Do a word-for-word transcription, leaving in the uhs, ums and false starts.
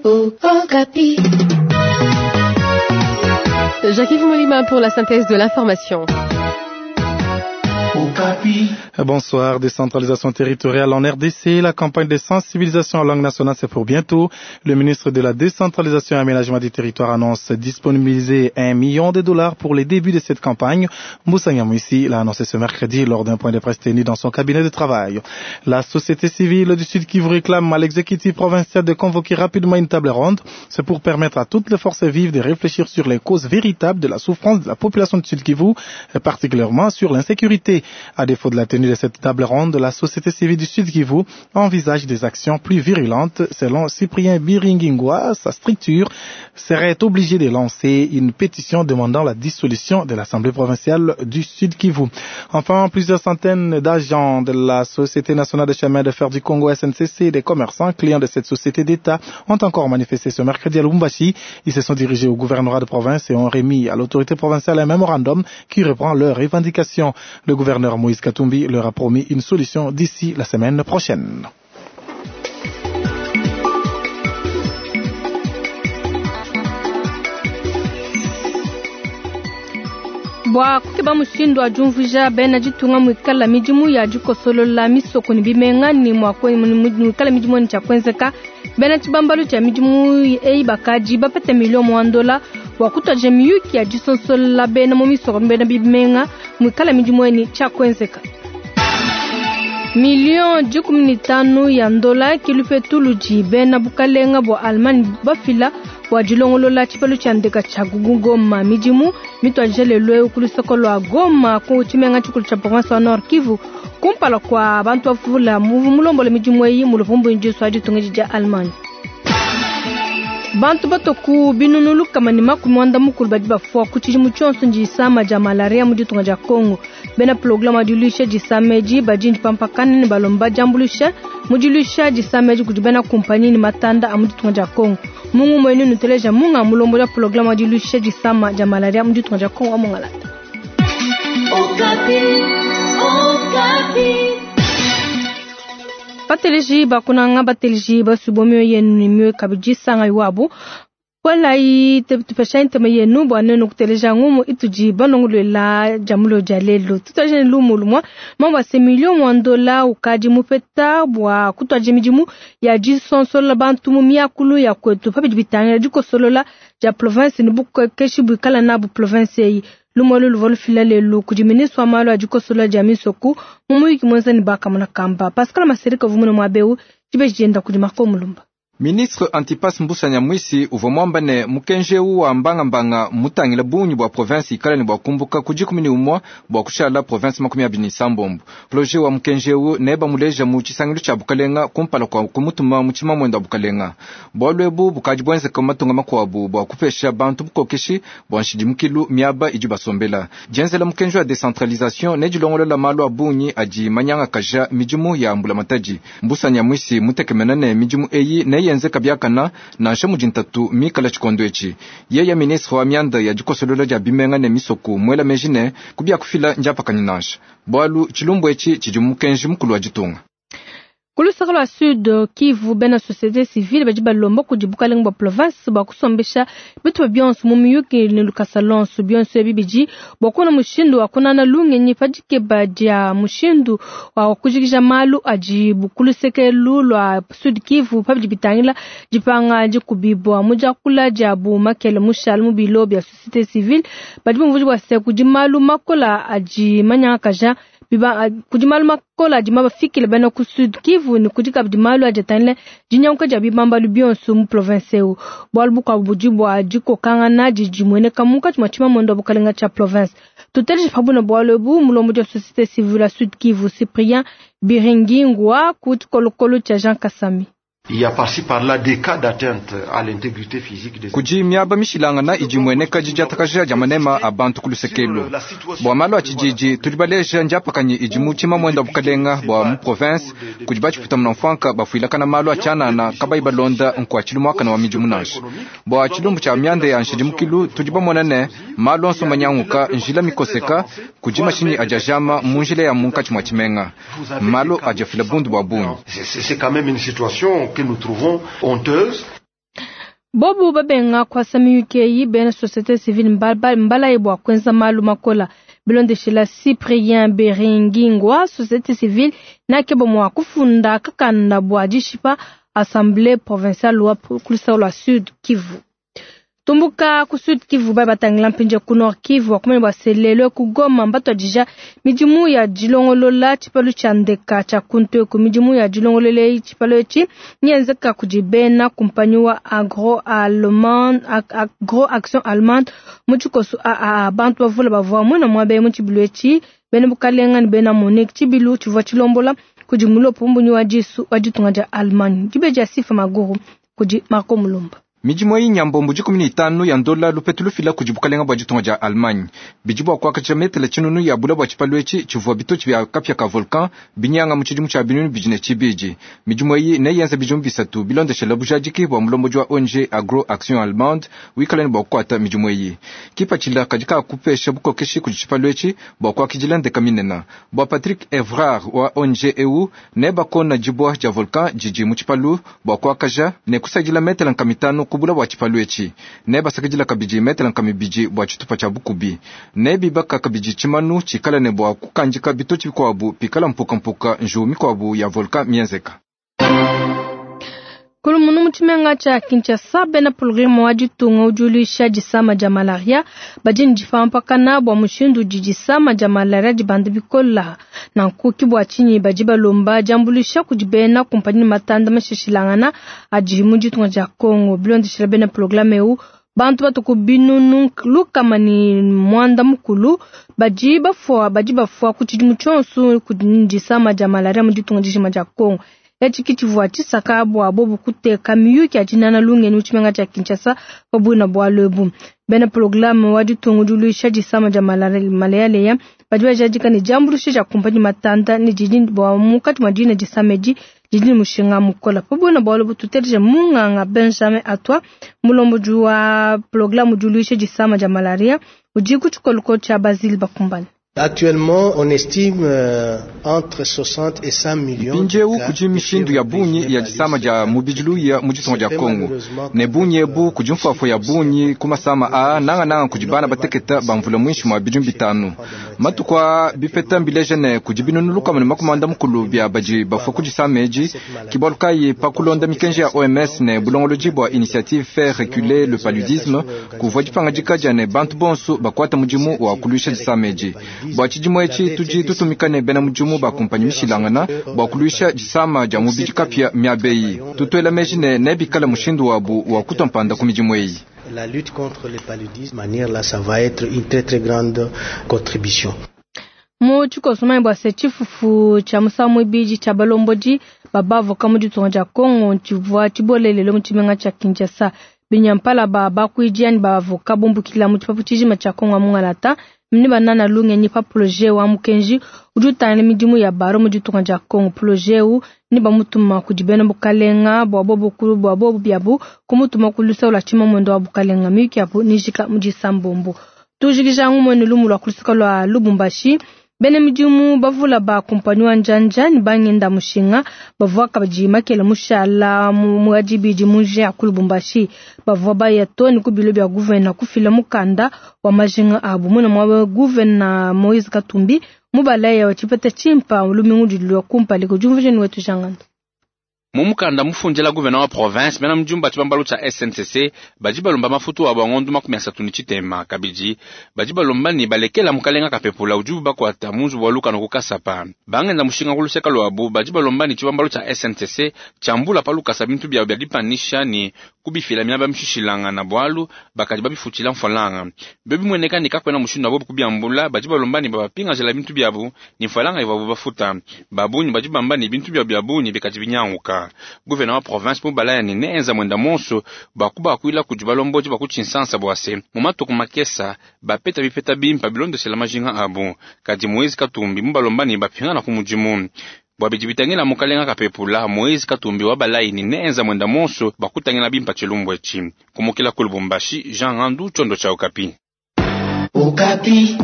Okapi. Jacques-Yves Molima pour la synthèse de l'information. Bonsoir. Décentralisation territoriale en R D C. La campagne de sensibilisation en langue nationale, c'est pour bientôt. Le ministre de la Décentralisation et Aménagement du Territoire annonce disponibiliser un million de dollars pour les débuts de cette campagne. Mbusa Nyamwisi l'a annoncé ce mercredi lors d'un point de presse tenu dans son cabinet de travail. La société civile du Sud Kivu réclame à l'exécutif provincial de convoquer rapidement une table ronde. C'est pour permettre à toutes les forces vives de réfléchir sur les causes véritables de la souffrance de la population du Sud Kivu, et particulièrement sur l'insécurité. À défaut de la tenue de cette table ronde, la société civile du Sud Kivu envisage des actions plus virulentes. Selon Cyprien Biringingwa, sa structure serait obligée de lancer une pétition demandant la dissolution de l'Assemblée provinciale du Sud Kivu. Enfin, plusieurs centaines d'agents de la Société nationale de chemin de fer du Congo S N C C et des commerçants clients de cette société d'État ont encore manifesté ce mercredi à Lubumbashi. Ils se sont dirigés au gouvernorat de province et ont remis à l'autorité provinciale un mémorandum qui reprend leurs revendications. Le gouverneur Moïse Katumbi leur a promis une solution d'ici la semaine prochaine. Bua kukeba mushindu wa diumvuija bena ditunga muikala midimu ya dikosolola misoko ne bimenga ne mua kwe-, muikala midimu ne tshia kuenzeka. Bena tshibambalu tshia midimu eyi bakadi bapete milio mua ndola bua kutuadija miyuki ya disonsolola bena mu misoko ne bena bimenga muikala midimu eyi ne tshia kuenzeka. Million dikumi ne tanu ya ndola kilupetu ludi bena bukalenga bua Allemagne bafila bua dilongolola tshipalu tshia ndeka tshia Goma. Midimu mituadija lelu eu ku lusoko lua Goma ku tshimenga tshikulu tshia province wa Nord Kivu kumpala kua bantu bavula mulombola midimu eyi mu luvumbu ndiso ditunga dia Allemagne. Bantu batoku binunu lukama ne makumi muanda mukulu badi bafua ku tshidimu tshionso ndisama dia malaria mu ditunga dia Congo. Bena programme wa diluisha disama edi badi ndipampakana ne balomba diambuluisha mu diluisha disama edi kudi bena kumpanyi ne matanda a mu ditunga dia Congo. Mungu mwenu nuteleja munga mulombo dia programme wa diluisha disama dia malaria mu ditunga dia Congo amongalata. Okapi, Okapi. Bateleji bakunanga bateleji basubomyo yenu ni mwe kabidi sanga iwabo. Wala yi tupesha ntema yenu bwa neno kuteleja ngumu ituji banongulwela jamulo ja lelo. Tutaje lumu lumwa mambo ya million mwa dola ukadi mupeta bwa kutwaje midimu ya jisonsola bantu mu miakulu ya kwetu papi bitanga dikosolola ja province ni bukeshi bukala na bu province yi. Lumolo luvolu fila lelu kudi ministre wa malu a dikosola dia misoku mu muyiki mwenza ni baka muna kamba. Pascal Masereka vumuna mwabeu jibe jenda kudi Marco Mulumba. Ministre Antipas Mbusa Nyamwisi uvua muamba ne mukenji eu wa mbangambanga mutangila bungi bua province ikala ne bua kumbuka ku dikumi ne umua bua kushala province makumi abidi ne isambombo. Projet wa mukenji eu nebamuleja mu tshisangilu tshia bukalenga kumpala kua kumutuma mu tshimamwendo wa bukalenga. Bualu ebu bukadi buenzeka mu matunga makuabu bua kupesha bantu bukokeshi bua nshidimukilu miaba idi basombela. Dienzela mukenji wa decentralisation ne dilongolola malu a bungi adi manyangakaja midimu ya mbulamatadi. Mbusa Nyamwisi mutekemena ne midimu eyi neyenze nze kabiakana nansha mudi ntatu mikala tshikondo etshi. Yeye ministre wa mianda ya dikosolola dia bimenga ne misoku mwela meji ne kubiakufila ndiapakanyi nansha. Bualu tshilumbu etshi tshidi mukenji mukulu wa ditunga. Kulusaka lwa Sud Kivu bena société civile badi balomba kudi bukalenga bua province bua kusombesha bitu bionso mu miyuki ne lukasa lonso bionso ebi bidi bua kuona mushindu wa kunana lungenyi padikeba dia mushindu wa kujikija malu adi bukuluseke lwa Sud Kivu pabidi bitangila dipanga dikubibwa mu diakula diabu makele mushale mu bilo bia société civile badi bumvuji bua se kudi malu makola adi manyangakaja biba kudi malu makola adi mabafikile bena ku Sud Kivu ni kudi kabidi malu adi atangila dinyanguka dia bibambalu bionso mu province eu. Bualu bukuabu budi bua dikokangana didi dimueneka munkatshi mua tshimamuendo wa bukalenga tshia province. Tuteleje pabuna bualu ebu mulombo dia société civile ya Sud Kivu Cyprien Biringingwa ku tshikolokolo tshia Jean Kasami. Il y a par-ci par-là des cas d'atteinte à l'intégrité physique des Kudi miaba mishilangana idi mueneka didiatakaja dia manema a bantu ku lusekelo. Bua malu a tshididi tudi baleja ndiapakanyi idi mu tshimamwendo wa bukalenga bua mu province kudi batshiputa munamfuanka bafuilakana malu a tshianana kabayi balonda nkuatshilu muakana wa midimu nansha. Bua tshilumbu tshia mianda ya nshidimukilu tudi bamona ne malu onso manyanguka njila mikoseka kudi mashinyi adi ajama mu njila ya munkatshi mua tshimenga. Malu adi afila bundu bua bungi. C'est, c'est quand même une situation que nous trouvons honteuse. Bobu babenga kuasa miyuki eyi, bena société civile mbalaye bua kuenza malu makola. Bilondeshela Cyprien Beringingwa, société civile nakeba mua kufunda kakanda bua dishipa assemblée provinciale wa ku lua Sud Kivu. Tumbuka ku Sud Kivu ba batangila mpinje ku Nord Kivu wakumene bua selelo ku Goma mbatwadija midimu ya dilongolola tshipalu tshia ndeka tshia kuntu ku midimu ya dilongolola tshipalu etshi nyenzeka kudi bena kumpanyi wa agro allemand agro action allemande mu tshikoso a a bantu bavula bavua mwena mwabe mu tshibilu etshi bena bukalenga ne bena Monique tshibilu tshivua tshilombola kudi mulopo mbunyi wa disu wa ditunga dia Allemagne dibe dia Sifa Maguru kudi Marco Mulumba. Midimu eyi nyambombo dikumi ne itanu ya ndola lupetu lufila kudi bukalenga bua ditunga dia Allemagne bidi bua kuakaja metele tshinunu ya bula bua tshipalu etshi tshivua bitotshi bia kapia ka volcan binyanga mu tshidimu tshia binunu bidi ne tshibidi. Midimu eyi neyenze bidimu bisatu bilondeshela bujadiki bua mulombodi wa O N G Agro Action Allemande wikala ne bua kukuata midimu eyi. Kipatshila kadi kakupesha bukokeshi kudi tshipalu etshi bua kuakidila ndeka minene. Bua Patrick Evrard wa O N G eu nebakona dibua dia volcan didi mu tshipalu bua kuakaja ne kusadila metele nkamitanu kubula bua tshipalu etshi. Nebasakidila kabidi metele nkamibidi bua tshitupa tshia bukubi. Nebibaka kabidi tshimanu tshikala ne bua kukandika bitotshi bikuabu pikala mpukampuka nju mikuabu ya volcan mienzeka. Kulumunu mu tshimenga tshia Kinshasa bena programme wa ditunga udi disama dia malaria badi ne dipampakana bua mushindu udi disama dia malaria dibanda bikola. Nanku ki bua tshinyi badi balomba diambuluisha kudi bena kumpanyi matanda mashishilangana adi mu ditunga dia Congo. Bilondeshela bena programme eu bantu batuku binunu lukama ni mwanda mukulu badi bafua badi bafua ku tshidimu tshionso kudi disama dia malaria mu ditunga dijima dia Congo. Etshi tshivua tshisaka bua bobu kuteka miyuki ya dinana lungeni mu tshimenga tshia Kinshasa pabuina bualu ebu. Bena programme wa ditunga diluisha disama dia malaria badi bajadika ne diambuluisha dia kumpanyi matanda ne didi bua mukati mwa dina disama edi didi ne mushinga mukola. Pabuina bualu ebu tuteleje munganga Benjamin Atwa mulombodi wa programme diluisha disama dia malaria udi ku tshikoloko tshia Basile Bakumbane. Actuellement, on estime euh, entre soixante et cent millions. Mpindieu kudi mishindu ya bungi ya disama dia mubidilu ya mu ditunga dia Congo. Ne bungi ebu kudi mfuafua ya bungi ku masama a nanga nanga kudi bana bateketa bamvula mwinshi mwa bidimu bitanu. Matuku a bipeta mbileje ne kudi binunu lukama ne makumanda mukulu bia badi bafua ku disama edi kibalukayi pa kulonda mikenji ya O M S ne bulongolodi bua initiative faire reculer le paludisme kuvua dipangadika dia ne bantu bonso bakuata mudimu wa kuluisha disama edi. Bua tshidimu etshi tudi tutumika ne bena mudimu ba kumpanyi mishilangana bua kuluisha disama dia mubidi kapia miabeyi. Tutuela meji ne nebikala mushindu wabu wa kutompanda ku midimu eyi. La lutte contre le paludisme, manière là, ça va être une très très grande contribution. Mu tshikoso bua se tshifufu tshia musangu ibidi tshia balombodi babavoka mu ditunga dia Congo tshivua tshibolelele mu tshimenga tshia Kinshasa. Binyampala ba bakuidi ani bavoka bumbukila mu tshipapu tshijima tshia Congo mungalata mni banana lungenyi pa projet wa mukenji udi utangila midimu ya baro mu ditunga dia Congo. Projet eu ni bamutuma kudi bena bukalenga bua bobu kulu bua bobu biabu kumutuma kulusa lwa tshimamwendo wa bukalenga miyuki yabu nijika mu disambombo. Tujikija ngumwe lumu lwa kulusaka lwa Lubumbashi. Bene midimu bavula ba kumpanyi wa njanja ni bangenda mushinga bavua kabidi makela mushala mu adibidi muje ya ku Lubumbashi bavua baya to ni ku bilo bya gouverneur kufila mukanda wa majinga abu muna mwa gouverneur Moise Katumbi mubalaya wa chipeta chimpa lumingu dilwa kumpali ko jumvuje ni wetu jangando. Mumukanda mufunjela gouverneur wa province mena mjumba tshibambalu tsha S N C C badi balomba mafutu wa bangondu makumi asatu ni tshitema kabidi badi balomba ni balekela mukalenga kapepula ujubu bakwata munzu wa luka no kukasapa bangenda mushinga kuluseka lwabu badi balomba ni tshibambalu tsha S N C C tshambula pa lukasa bintu bya bya dipanisha ni kubifila miaba mishishilanga na bwalu bakadi babifutila mfalanga bebi mweneka ni kakwena mushindu abo kubyambula badi balomba ni babapinga jela bintu byabu ni mfalanga ivabu bafuta babunyi badi bamba ni bintu bya byabunyi bikadi binyanguka. Gouverneur wa province mubalaya ni neenza mwenda monso bakuba akuila kudi balomboji bakutshinsansa bwase mu matuku makesa bapeta bipeta bimpa bilondesela majinga abu kadi Moise Katumbi mubalomba ni bapingana ku mudimu bwa bidi bitangila mukalenga kapepula Moise Katumbi wa balayi ni neenza mwenda monso bakutangila bimpa tshilumbu etshi kumukila ku Lubumbashi Jean Randu Chondo cha Okapi. Okapi.